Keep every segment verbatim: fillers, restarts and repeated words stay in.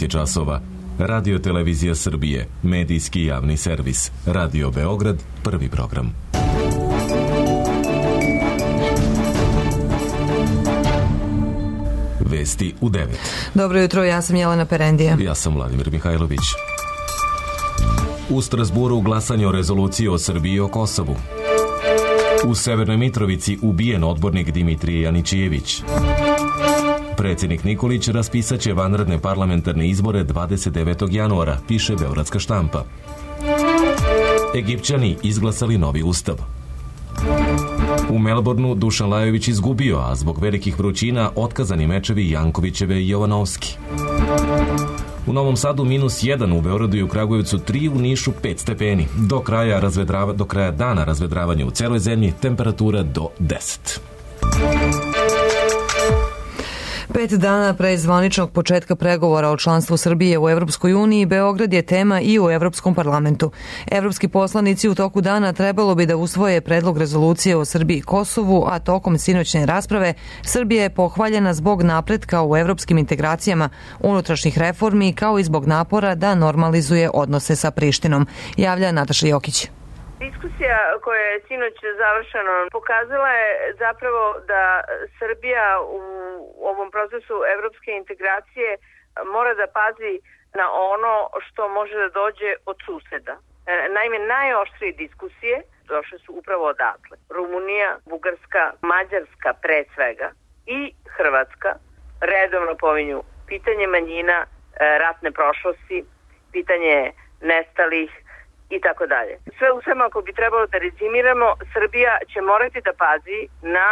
devet časova. Radio Televizija Srbije, medijski javni servis. Radio Beograd, prvi program. Vesti u devet. Dobro jutro, ja sam Jelena Perendija. Ja sam Vladimir Mihajlović. U Strasburu glasanje o rezoluciji o Srbiji i o Kosovu. U Severnoj Mitrovici ubijen odbornik Dimitrije Janićijević. Predsjednik Nikolić raspisaće vanredne parlamentarne izbore dvadeset devetog januara, piše Beogradska štampa. Egipćani izglasali novi ustav. U Melbourneu Dušan Lajović izgubio, a zbog velikih vrućina otkazani mečevi Jankovićeve i Jovanovski. U Novom Sadu minus jedan, u Beogradu i u Kragujevcu tri, u Nišu pet stepeni. Do kraja, razvedrava, do kraja dana razvedravanja u celoj zemlji temperatura do deset. Pet dana pre zvaničnog početka pregovora o članstvu Srbije u Evropskoj uniji, Beograd je tema i u Evropskom parlamentu. Evropski poslanici u toku dana trebalo bi da usvoje predlog rezolucije o Srbiji i Kosovu, a tokom sinoćne rasprave Srbija je pohvaljena zbog napretka u evropskim integracijama, unutrašnjih reformi, kao i zbog napora da normalizuje odnose sa Prištinom. Javlja Nataša Jokić. Diskusija koja je sinoć završena pokazala je zapravo da Srbija u ovom procesu evropske integracije mora da pazi na ono što može da dođe od suseda. Naime, najoštrije diskusije došle su upravo odatle. Rumunija, Bugarska, Mađarska pre svega i Hrvatska redovno pominju pitanje manjina, ratne prošlosti, pitanje nestalih i tako dalje. Sve u svemu, ako bi trebalo da rezimiramo, Srbija će morati da pazi na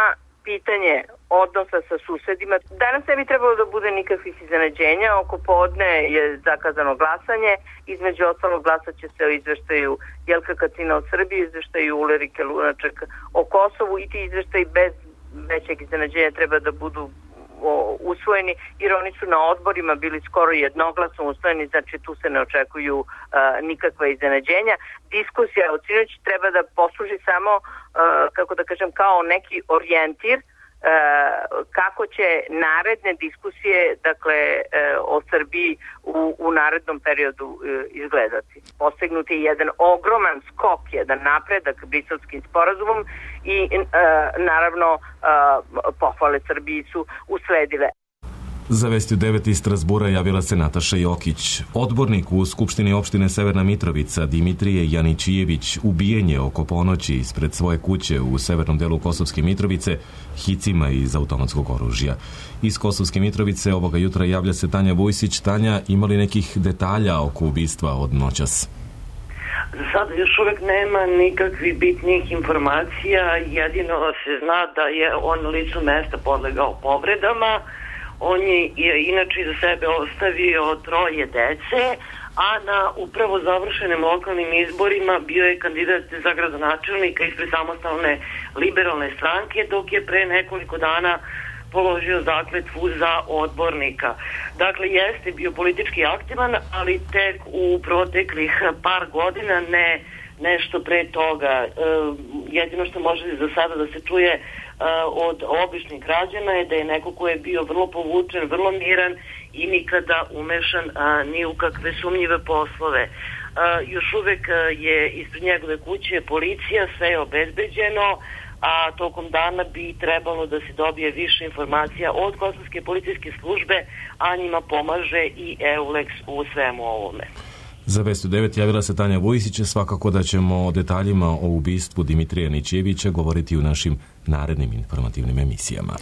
pitanje odnosa sa susedima. Danas ne bi trebalo da bude nikakvih iznenađenja. Oko podne je zakazano glasanje. Između ostalog glasat će se o izveštaju Jelka Kacina o Srbiji, izveštaju Ulerike Lunaček o Kosovu, i ti izveštaji bez većeg iznenađenja treba da budu usvojeni, jer oni su na odborima bili skoro jednoglasno usvojeni, znači tu se ne očekuju uh, nikakva iznenađenja. Diskusija od sinoć treba da posluži samo, uh, kako da kažem, kao neki orijentir uh, kako će naredne diskusije, dakle, uh, o Srbiji u, u narednom periodu uh, izgledati. Postignut je jedan ogroman skok, jedan napredak Briselskim sporazumom i uh, naravno uh, pohvale Srbiji su usledile. Za Vesti u devet iz Strasbura javila se Nataša Jokić. Odbornik u Skupštini opštine Severna Mitrovica Dimitrije Janićijević ubijen je oko ponoći ispred svoje kuće u severnom delu Kosovske Mitrovice hicima iz automatskog oružja. Iz Kosovske Mitrovice ovoga jutra javlja se Tanja Vujsić. Tanja, imali nekih detalja oko ubistva od noćas? Sad još uvek nema nikakvih bitnih informacija, jedino se zna da je on na licu mesta podlegao povredama. On je inače za sebe ostavio troje dece, a na upravo završenim lokalnim izborima bio je kandidat za gradonačelnika ispred samostalne liberalne stranke, dok je pre nekoliko dana položio zakletvu za odbornika. Dakle, jeste bio politički aktivan, ali tek u proteklih par godina, ne nešto pre toga. E, jedino što može za sada da se čuje e, od običnih građana je da je neko ko je bio vrlo povučen, vrlo miran i nikada umešan a, ni u kakve sumnjive poslove. A, još uvek je ispred njegove kuće policija, sve je obezbeđeno, a tokom dana bi trebalo da se dobije više informacija od kosovske policijske službe, a njima pomaže i EULEX u svemu ovome. Za Vest u devet javila se Tanja Vujsić. Svakako da ćemo o detaljima o ubistvu Dimitrija Janićijevića govoriti u našim narednim informativnim emisijama.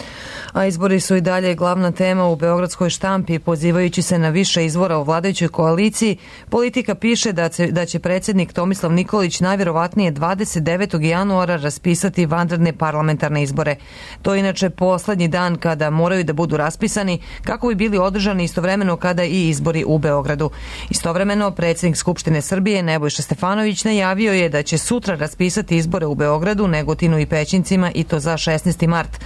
A izbori su i dalje glavna tema u beogradskoj štampi. Pozivajući se na više izvora u vladajućoj koaliciji, Politika piše da će, da će predsjednik Tomislav Nikolić najvjerovatnije dvadeset devetog januara raspisati vanredne parlamentarne izbore. To je inače poslednji dan kada moraju da budu raspisani, kako bi bili održani istovremeno kada i izbori u Beogradu. Istovremeno, predsjednik Skupštine Srbije Nebojša Stefanović najavio je da će sutra raspisati izbore u Beogradu, Negotinu i Pećincima, i to za šesnaesti mart.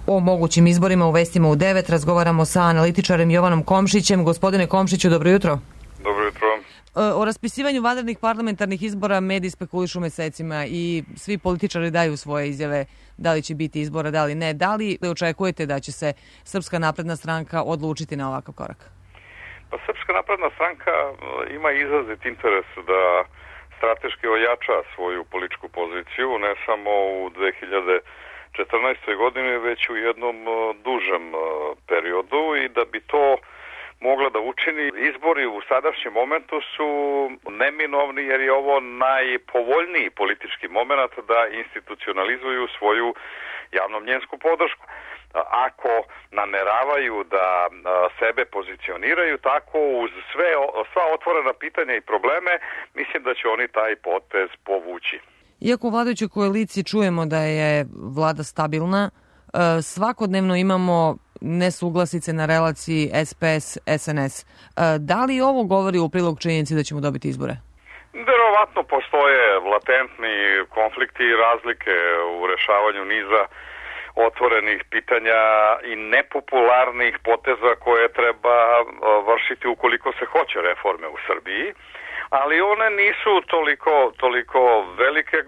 O mogućim izborima u Vestima u devet razgovaramo sa analitičarem Jovanom Komšićem. Gospodine Komšiću, dobro jutro. Dobro jutro. O raspisivanju vanrednih parlamentarnih izbora mediji spekulišu mesecima i svi političari daju svoje izjave da li će biti izbora, da li ne. Da li očekujete da će se Srpska napredna stranka odlučiti na ovakav korak? Pa Srpska napredna stranka ima izrazit interes da strateški ojača svoju političku poziciju, ne samo u dve hiljade četrnaestoj godini, već u jednom dužem periodu, i da bi to mogla da učini. Izbori u sadašnjem momentu su neminovni jer je ovo najpovoljniji politički moment da institucionalizuju svoju javnomnjensku podršku. Ako nameravaju da sebe pozicioniraju tako uz sve, sva otvorena pitanja i probleme, mislim da će oni taj potez povući. Iako u vladajućoj koaliciji čujemo da je vlada stabilna, svakodnevno imamo nesuglasice na relaciji S P S S N S. Da li ovo govori u prilog činjenici da ćemo dobiti izbore? Verovatno postoje latentni konflikti i razlike u rešavanju niza otvorenih pitanja i nepopularnih poteza koje treba vršiti ukoliko se hoće reforme u Srbiji, ali one nisu toliko, toliko velike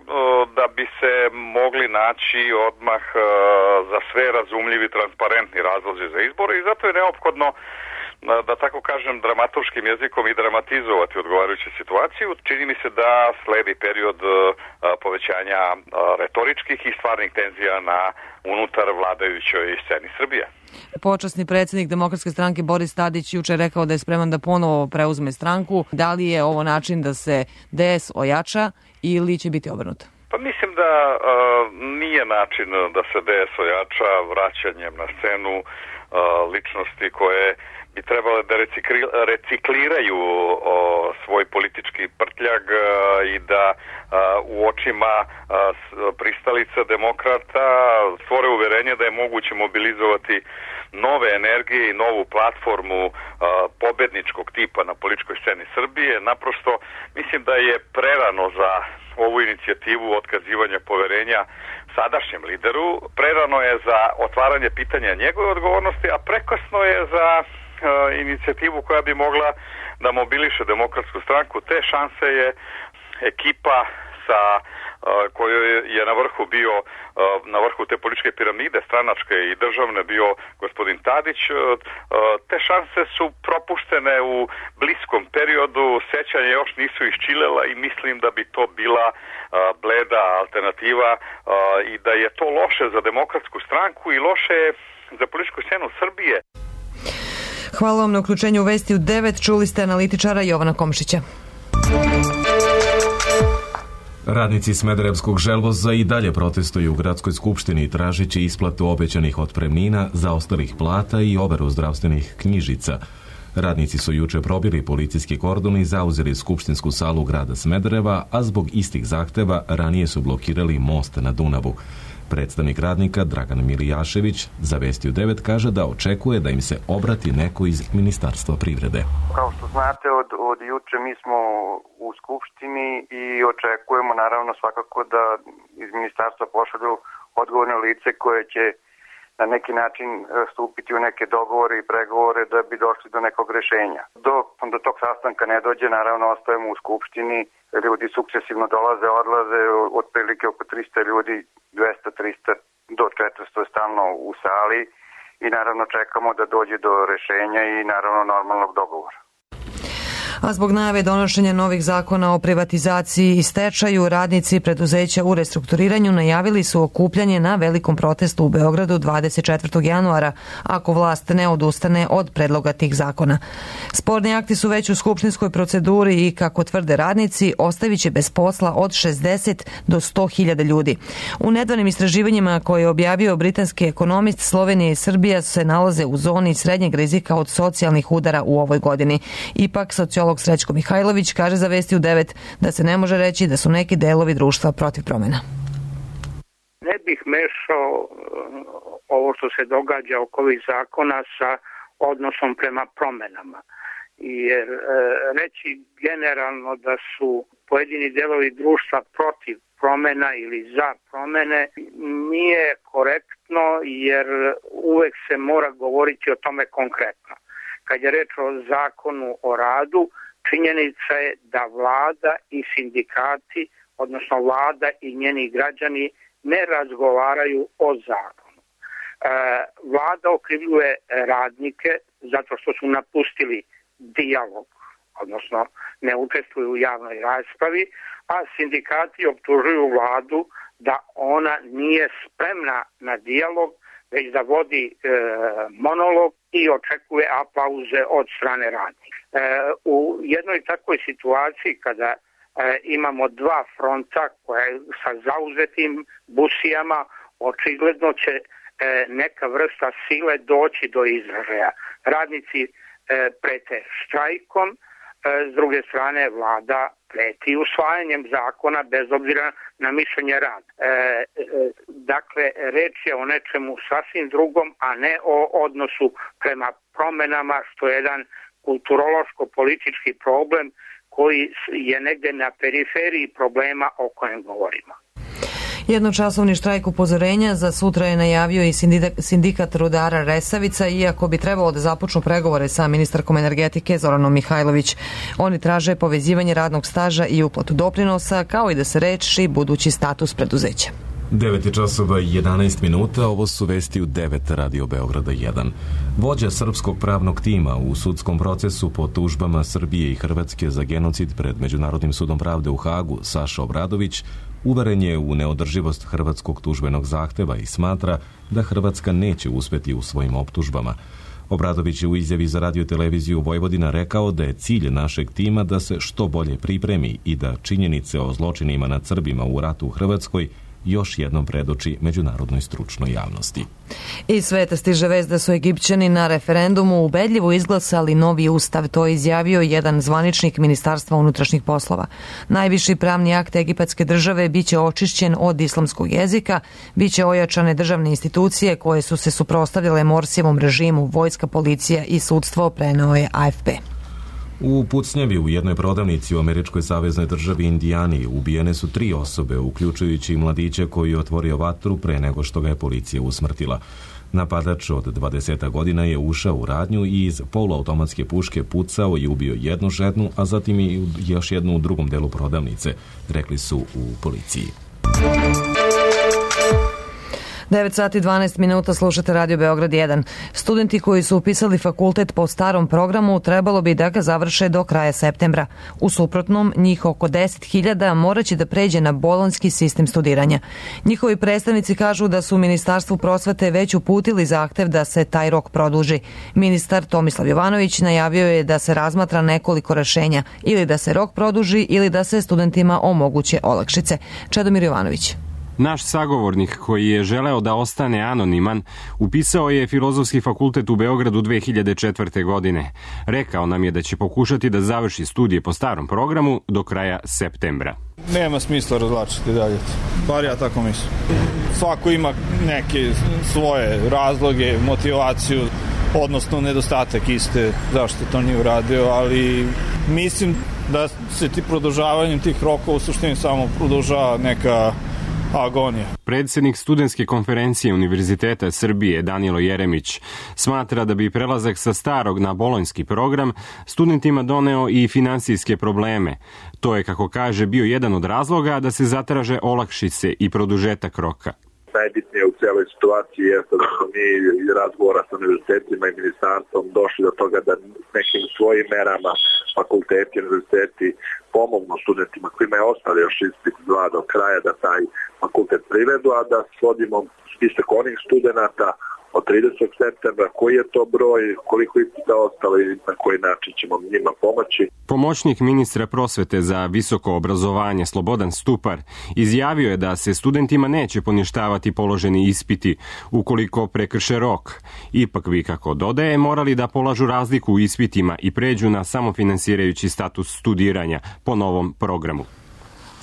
da bi se mogli naći odmah za sve razumljivi, transparentni razlozi za izbore, i zato je neophodno, da tako kažem, dramaturškim jezikom i dramatizovati odgovarajuću situaciju. Čini mi se da sledi period povećanja retoričkih i stvarnih tenzija na unutar vladajućoj sceni Srbije. Počasni predsjednik Demokratske stranke Boris Tadić juče rekao da je spreman da ponovo preuzme stranku. Da li je ovo način da se D S ojača ili će biti obrnuto? Pa mislim da uh, nije način da se D S ojača vraćanjem na scenu uh, ličnosti koje bi trebale da recikliraju o, svoj politički prtljag a, i da a, u očima a, pristalica demokrata stvore uverenje da je moguće mobilizovati nove energije i novu platformu a, pobedničkog tipa na političkoj sceni Srbije. Naprosto mislim da je prerano za ovu inicijativu otkazivanja poverenja sadašnjem lideru, prerano je za otvaranje pitanja njegove odgovornosti, a prekasno je za inicijativu koja bi mogla da mobiliše Demokratsku stranku. Te šanse je ekipa sa kojoj je na vrhu bio, na vrhu te političke piramide stranačke i državne bio gospodin Tadić. Te šanse su propuštene u bliskom periodu, sećanja još nisu iščilela i mislim da bi to bila bleda alternativa i da je to loše za Demokratsku stranku i loše za političku scenu Srbije. Hvala vam na uključenju u Vesti u devet. Čuli ste analitičara Jovana Komšića. Radnici Smederevskog želvoza i dalje protestuju u gradskoj skupštini tražići isplatu obećanih otpremnina, zaostalih plata i overu zdravstvenih knjižica. Radnici su juče probili policijski kordon i zauzeli skupštinsku salu grada Smedereva, a zbog istih zahteva ranije su blokirali most na Dunavu. Predstavnik radnika Dragan Milijašević za Vesti u devet kaže da očekuje da im se obrati neko iz Ministarstva privrede. Kao što znate, od, od juče mi smo u Skupštini i očekujemo naravno svakako da iz Ministarstva pošalju odgovorne lice koje će na neki način stupiti u neke dogovore i pregovore da bi došli do nekog rešenja. Dok do tog sastanka ne dođe, naravno ostajemo u Skupštini, ljudi sukcesivno dolaze, odlaze, otprilike oko trista ljudi, dvesta, trista do četiristo je stalno u sali i naravno čekamo da dođe do rešenja i naravno normalnog dogovora. A zbog najave donošenja novih zakona o privatizaciji i stečaju, radnici preduzeća u restrukturiranju najavili su okupljanje na velikom protestu u Beogradu dvadeset četvrtog januara, ako vlast ne odustane od predloga tih zakona. Sporni akti su već u skupštinskoj proceduri i, kako tvrde radnici, ostavit će bez posla od šezdeset do sto hiljada ljudi. U nedavnim istraživanjima koje je objavio britanski ekonomist, Slovenija i Srbija se nalaze u zoni srednjeg rizika od socijalnih udara u ovoj godini. Ipak, sociolog Srećko Mihajlović kaže za Vesti u devet da se ne može reći da su neki delovi društva protiv promjena. Ne bih mešao ovo što se događa oko ovih zakona sa odnosom prema promenama. Jer e, reći generalno da su pojedini delovi društva protiv promjena ili za promjene nije korektno, jer uvek se mora govoriti o tome konkretno. Kad je reč o zakonu o radu, činjenica je da vlada i sindikati, odnosno vlada i njeni građani, ne razgovaraju o zakonu. E, vlada okrivljuje radnike zato što su napustili dijalog, odnosno ne učestvuju u javnoj raspravi, a sindikati optužuju vladu da ona nije spremna na dijalog, već da vodi e, monolog i očekuje aplauze od strane radnika. E, u jednoj takvoj situaciji kada e, imamo dva fronta koje sa zauzetim busijama, očigledno će e, neka vrsta sile doći do izražaja. Radnici e, prete štrajkom, e, s druge strane vlada preti usvajanjem zakona bez obzira na mišljenje rada. E, e, dakle, reč je o nečemu sasvim drugom, a ne o odnosu prema promenama, što je jedan kulturološko-politički problem koji je negde na periferiji problema o kojem govorimo. Jednočasovni štrajk upozorenja za sutra je najavio i sindikat rudara Resavica, iako bi trebalo da započnu pregovore sa ministarkom energetike Zoranom Mihajlović. Oni traže povezivanje radnog staža i uplatu doprinosa, kao i da se reši budući status preduzeća. devet časova i jedanaest minuta, ovo su vesti u devet Radio Beograda jedan. Vođa srpskog pravnog tima u sudskom procesu po tužbama Srbije i Hrvatske za genocid pred Međunarodnim sudom pravde u Hagu, Saša Obradović, uveren je u neodrživost hrvatskog tužbenog zahteva i smatra da Hrvatska neće uspeti u svojim optužbama. Obradović je u izjavi za radio televiziju Vojvodina rekao da je cilj našeg tima da se što bolje pripremi i da činjenice o zločinima nad Srbima u ratu u Hrvatskoj još jednom predoči međunarodnoj stručnoj javnosti. Iz sveta stiže vest da su Egipćani na referendumu ubedljivo izglasali novi ustav, to je izjavio jedan zvaničnik Ministarstva unutrašnjih poslova. Najviši pravni akt egipatske države biće očišćen od islamskog jezika, biće ojačane državne institucije koje su se suprotstavljale Morsijevom režimu, vojska, policija i sudstvo, preneo je A F P. U pucnjavi u jednoj prodavnici u američkoj saveznoj državi Indijani ubijene su tri osobe, uključujući mladića koji je otvorio vatru pre nego što ga je policija usmrtila. Napadač od dvadeset godina je ušao u radnju i iz poluautomatske puške pucao i ubio jednu ženu, a zatim i još jednu u drugom delu prodavnice, rekli su u policiji. devet sati i dvanaest minuta, slušate Radio Beograd jedan. Studenti koji su upisali fakultet po starom programu trebalo bi da ga završe do kraja septembra. U suprotnom, njih oko deset hiljada morat će da pređe na bolonjski sistem studiranja. Njihovi predstavnici kažu da su u Ministarstvu prosvete već uputili zahtev da se taj rok produži. Ministar Tomislav Jovanović najavio je da se razmatra nekoliko rešenja, ili da se rok produži ili da se studentima omoguće olakšice. Čedomir Jovanović. Naš sagovornik, koji je želeo da ostane anoniman, upisao je Filozofski fakultet u Beogradu dve hiljade četvrte. godine. Rekao nam je da će pokušati da završi studije po starom programu do kraja septembra. Nema smisla razlačiti dalje. Bar ja tako mislim. Svako ima neke svoje razloge, motivaciju, odnosno nedostatak iste zašto to nije uradio, ali mislim da se ti produžavanjem tih rokova u suštini samo produžava neka agonija. Predsednik studentske konferencije Univerziteta Srbije Danilo Jeremić smatra da bi prelazak sa starog na bolonjski program studentima doneo i finansijske probleme. To je, kako kaže, bio jedan od razloga da se zatraže olakšice i produžetak roka. Najbitnije u celoj situaciji jeste da smo mi iz razgovora sa univerzitetima i ministarstvom došli do toga da nekim svojim merama fakulteti i univerziteti pomognu studentima kojima je ostali još ispit dva do kraja da taj fakultet privedu, a da svodimo spisak onih studenta od tridesetog septembra, koji je to broj, koliko ispita ostalo i na koji način ćemo njima pomoći. Pomoćnik ministra prosvete za visoko obrazovanje Slobodan Stupar izjavio je da se studentima neće poništavati položeni ispiti ukoliko prekrše rok. Ipak bi, kako dodaje, morali da polažu razliku u ispitima i pređu na samofinansirajući status studiranja po novom programu.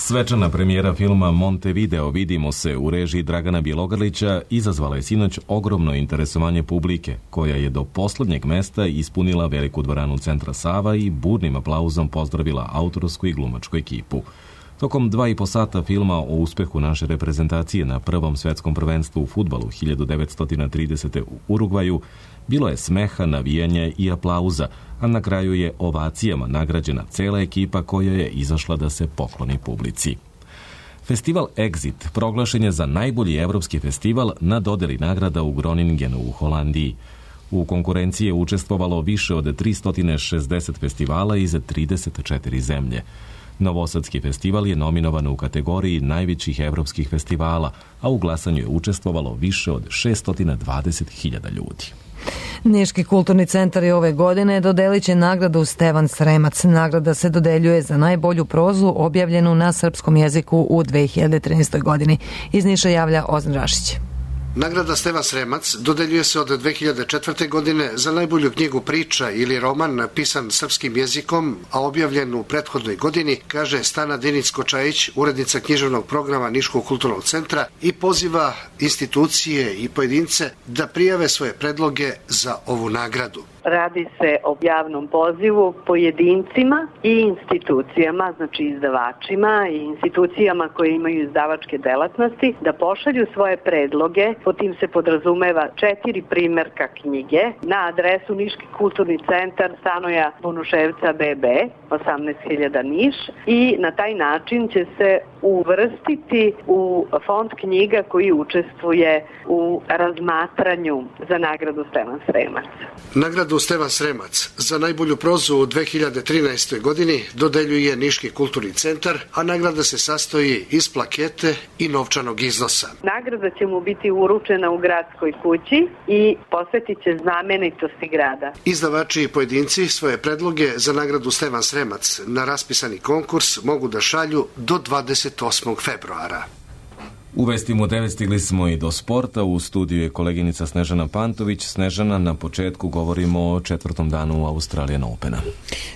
Svečana premijera filma Montevideo Vidimo se u režiji Dragana Bjelogrlića izazvala je sinoć ogromno interesovanje publike, koja je do poslednjeg mesta ispunila veliku dvoranu Centra Sava i burnim aplauzom pozdravila autorsku i glumačku ekipu. Tokom dva i po sata filma o uspehu naše reprezentacije na prvom svetskom prvenstvu u fudbalu hiljadu devetsto tridesete. u Urugvaju bilo je smeha, navijanja i aplauza, a na kraju je ovacijama nagrađena cela ekipa koja je izašla da se pokloni publici. Festival Exit proglašen je za najbolji evropski festival na dodeli nagrada u Groningenu u Holandiji. U konkurenciji je učestvovalo više od tristo šezdeset festivala iz trideset četiri zemlje. Novosadski festival je nominovan u kategoriji najvećih evropskih festivala, a u glasanju je učestvovalo više od šesto dvadeset hiljada ljudi. Niški kulturni centar je ove godine dodelit će nagradu Stevan Sremac. Nagrada se dodeljuje za najbolju prozu objavljenu na srpskom jeziku u dve hiljade trinaestoj godini. Iz Niša javlja Ozan Rašić. Nagrada Stevan Sremac dodeljuje se od dve hiljade četvrte. godine za najbolju knjigu priča ili roman napisan srpskim jezikom, a objavljen u prethodnoj godini, kaže Stana Dinić-Kočajić, urednica književnog programa Niškog kulturnog centra, i poziva institucije i pojedince da prijave svoje predloge za ovu nagradu. Radi se o javnom pozivu pojedincima i institucijama, znači izdavačima i institucijama koje imaju izdavačke delatnosti, da pošalju svoje predloge. Po tim se podrazumeva četiri primerka knjige na adresu Niški kulturni centar, Stanoja Bunuševca B B, osamnaest hiljada Niš, i na taj način će se uvrstiti u fond knjiga koji učestvuje u razmatranju za nagradu Stevan Sremac. Nagradu Stevan Sremac za najbolju prozu u dve hiljade trinaestoj. godini dodeljuje Niški kulturni centar, a nagrada se sastoji iz plakete i novčanog iznosa. Nagrada će mu biti uručena u gradskoj kući i posvetit će znamenitosti grada. Izdavači i pojedinci svoje predloge za nagradu Stevan Sremac na raspisani konkurs mogu da šalju do dvadeset osmog februara. U vestima u devet stigli smo i do sporta. U studiju je koleginica Snežana Pantović. Snežana, na početku govorimo o četvrtom danu Australian Opena.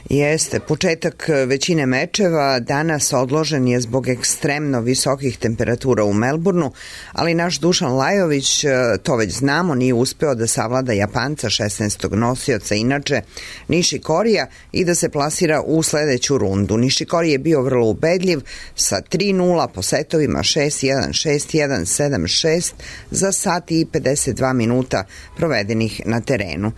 Jeste, početak većine mečeva danas odložen je zbog ekstremno visokih temperatura u Melbourneu, ali naš Dušan Lajović, to već znamo, nije uspeo da savlada Japanca, šesnaestog nosioca inače, Nišikorija, i da se plasira u sledeću rundu. Nišikori je bio vrlo ubedljiv sa tri nula po setovima, šest jedan, šest jedan, sedam šest za sat i pedeset dva minuta provedenih na terenu.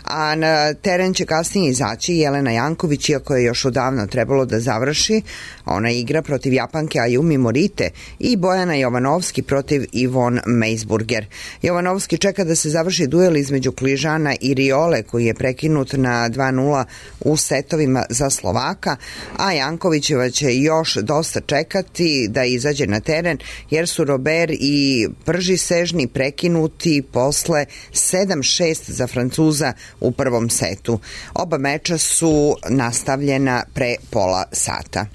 A na teren će kasnije izaći Jelena Janković, iako je još odavno trebalo da završi. Ona igra protiv Japanke Ayumi Morite i Bojana Jovanovski protiv Ivon Meisburger. Jovanovski čeka da se završi duel između Kližana i Riole, koji je prekinut na dva nula u setovima za Slovaka, a Jankovićeva će još dosta čekati da izađe na teren, jer su Robert i Prži Sežni prekinuti posle sedam šest za Francuza u prvom setu. Oba meča su nastavljena pre pola sata.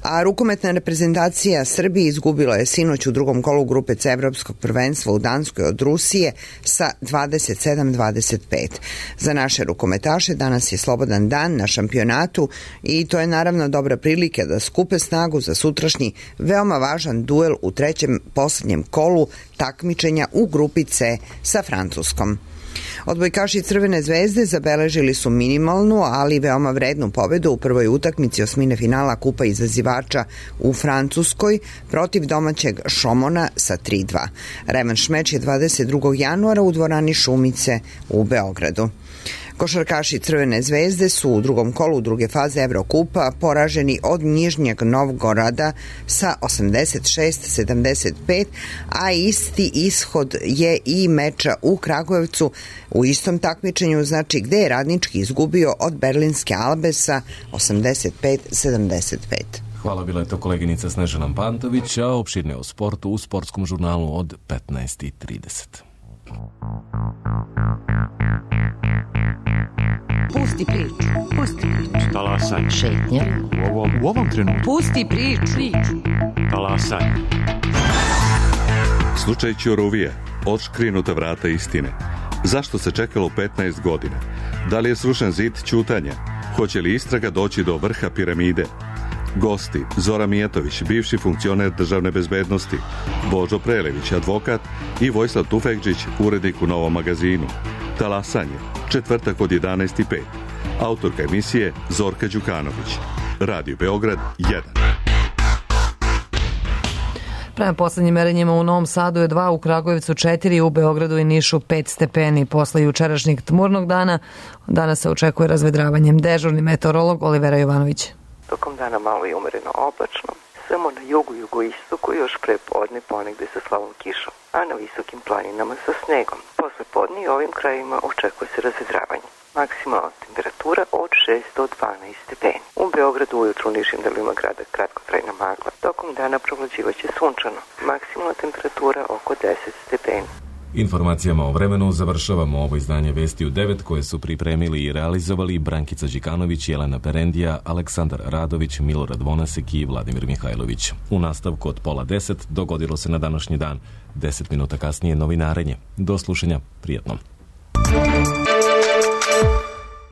A rukometna reprezentacija Srbije izgubila je sinoć u drugom kolu grupe C evropskog prvenstva u Danskoj od Rusije sa dvadeset sedam dvadeset pet. Za naše rukometaše danas je slobodan dan na šampionatu i to je naravno dobra prilika da skupe snagu za sutrašnji veoma važan duel u trećem poslednjem kolu takmičenja u grupi C sa Francuskom. Odbojkaši Crvene zvezde zabeležili su minimalnu, ali veoma vrednu pobedu u prvoj utakmici osmine finala Kupa izazivača u Francuskoj protiv domaćeg Šomona sa tri dva. Revanš meč je dvadeset drugog januara u dvorani Šumice u Beogradu. Košarkaši Crvene zvezde su u drugom kolu druge faze Evrokupa poraženi od Nižnjeg Novgorada sa osamdeset šest sedamdeset pet, a isti ishod je i meča u Kragujevcu u istom takmičenju, znači gde je Radnički izgubio od Berlinske Albe sa osamdeset pet sedamdeset pet. Hvala, bila je to koleginica Snežana Pantović, a opširne o sportu u sportskom žurnalu od petnaest i trideset. Pusti priču, pusti priču. Talasaj. Šetnja. U ovom, u ovom trenutku. Pusti priču. Talasaj. Slučaj Ćuruvije. Otškrinuta vrata istine. Zašto se čekalo petnaest godina? Da li je srušen zid ćutanja? Hoće li istraga doći do vrha piramide? Gosti: Zora Mijatović, bivši funkcioner državne bezbednosti, Božo Prelević, advokat, i Vojislav Tufekđić, urednik u Novom magazinu. Talasanje, četvrtak od jedanaest i pet. Autorka emisije Zorka Đukanović. Radio Beograd jedan. Prema poslednjim merenjima u Novom Sadu je dva, u Kragujevcu četiri, u Beogradu i Nišu pet stepeni. Posle jučerašnjeg tmurnog dana danas se očekuje razvedravanjem. Dežurni meteorolog Olivera Jovanović. Tokom dana malo i umereno oblačno, Samo na jugu, jugoistoku još pre podne ponegde sa slabom kišom, a na visokim planinama sa snegom. Posle podne i ovim krajima očekuje se razvedravanje. Maksimalna temperatura od šest do dvanaest stepeni. U Beogradu ujutru u nižim delima grada kratkotrajna magla. Tokom dana provlađivaće sunčano. Maksimalna temperatura oko deset stepeni. Informacijama o vremenu završavamo ovo izdanje Vesti u devet koje su pripremili i realizovali Brankica Đikanović, Jelena Perendija, Aleksandar Radović, Milorad Vonasek i Vladimir Mihajlović. U nastavku od pola deset dogodilo se na današnji dan. Deset minuta kasnije novinarenje. Do slušanja, prijatno.